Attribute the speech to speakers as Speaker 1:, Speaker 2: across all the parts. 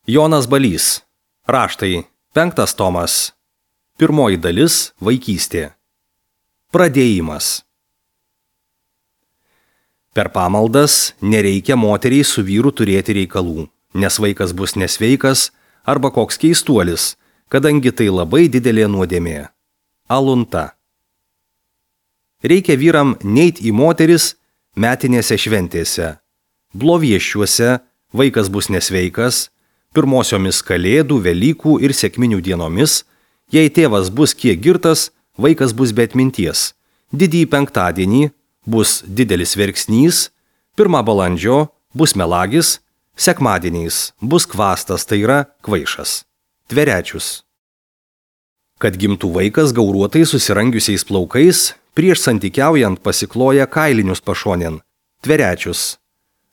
Speaker 1: Jonas Balys. Raštai. 5 tomas. 1 dalis. Vaikystė. Pradėjimas. Per pamaldas nereikia moteriai su vyru turėti reikalų, nes vaikas bus nesveikas arba koks keistuolis, kadangi tai labai didelė nuodėmė. Alunta. Reikia vyram neit į moteris metinėse šventėse. Blovieščiuose vaikas bus nesveikas, pirmosiomis Kalėdų, Velykų ir Sekminių dienomis, jei tėvas bus kiek girtas, vaikas bus be atminties. Didįjį penktadienį bus didelis verksnys, 1 balandžio bus melagis, sekmadieniais bus kvastas, tai yra kvaišas. Tverečius. Kad gimtų vaikas gauruotai susirangiusiais plaukais, prieš santykiaujant pasikloja kailinius pašonėn, tverečius.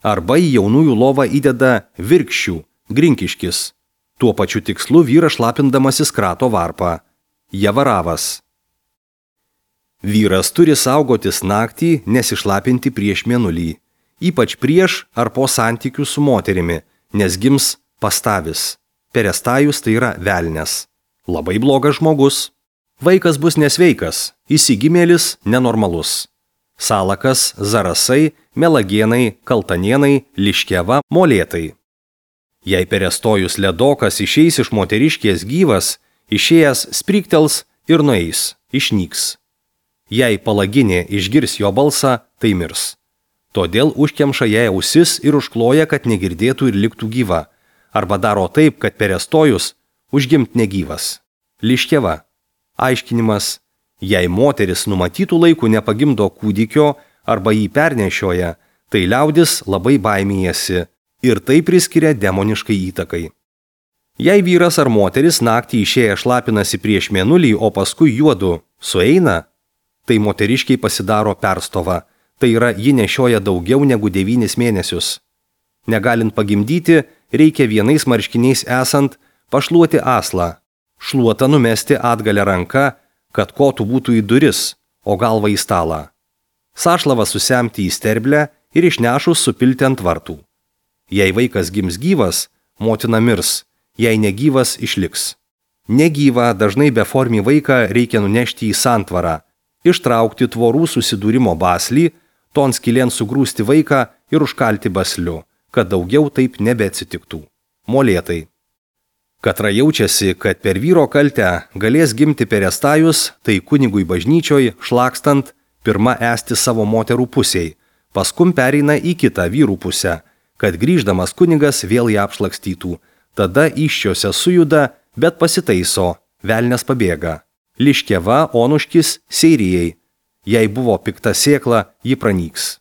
Speaker 1: Arba į jaunųjų lovą įdeda virkščių, grinkiškis. Tuo pačiu tikslu vyras šlapindamasis krato varpą, javaravas. Vyras turi saugotis naktį nesišlapinti prieš mėnulį, ypač prieš ar po santykių su moterimi, nes gims pastavis. Perestajus tai yra velnias. Labai blogas žmogus. Vaikas bus nesveikas, įsigimėlis nenormalus. Salakas, zarasai, melagienai, kaltanienai, liškeva, molėtai. Jei perestojus ledokas išeis iš moteriškės gyvas, išėjęs spriktels ir nueis, išnyks. Jei palaginė išgirs jo balsą, tai mirs. Todėl užkemša jai ausis ir užkloja, kad negirdėtų ir liktų gyva, arba daro taip, kad perestojus užgimt negyvas. Liškeva. Aiškinimas. Jei moteris numatytų laikų nepagimdo kūdikio arba jį pernešioja, tai liaudis labai baimėjasi ir tai priskiria demoniškai įtakai. Jei vyras ar moteris naktį išėję šlapinasi prieš mėnulį, o paskui juodu sueina, tai moteriškiai pasidaro perstova, tai yra ji nešioja daugiau negu 9 mėnesius. Negalint pagimdyti, reikia vienais marškiniais esant pašluoti aslą, šluotą numesti atgalę ranką, kad kotų būtų į duris, o galva į stalą. Sašlavą susemti į sterblę ir išnešus supilti ant vartų. Jei vaikas gims gyvas, motina mirs, jei negyvas išliks. Negyvą, dažnai beformį vaiką reikia nunešti į santvarą, ištraukti tvorų susidūrimo baslį, ton skylėn sugrūsti vaiką ir užkalti basliu, kad daugiau taip nebeatsitiktų. Molėtai. Katra jaučiasi, kad per vyro kaltę galės gimti perestajus, tai kunigui bažnyčioj, šlakstant, pirma esti savo moterų pusiai, paskum pereina į kitą vyrų pusę, kad grįždamas kunigas vėl ją apšlakstytų. Tada įsčiose sujuda, bet pasitaiso, velnias pabėga. Liškeva, onuškis, seirijai. Jei buvo pikta sėkla, ji pranyks.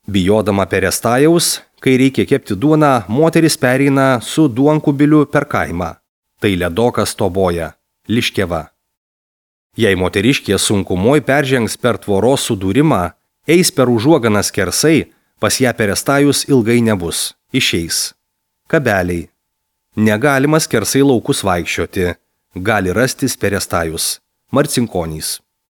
Speaker 1: Bijodama perestajaus, kai reikia kepti duoną, moteris pereina su duonkubiliu per kaimą. Tai ledokas toboja. Liškeva. Jei moteriškė sunkumoj peržengs per tvoros sudūrimą, eis per užuoganą skersai, pas ją perestajus ilgai nebus. Išeis. Kabeliai. Negalima skersai laukus vaikščioti. Gali rastis perestajus. Marcinkonys.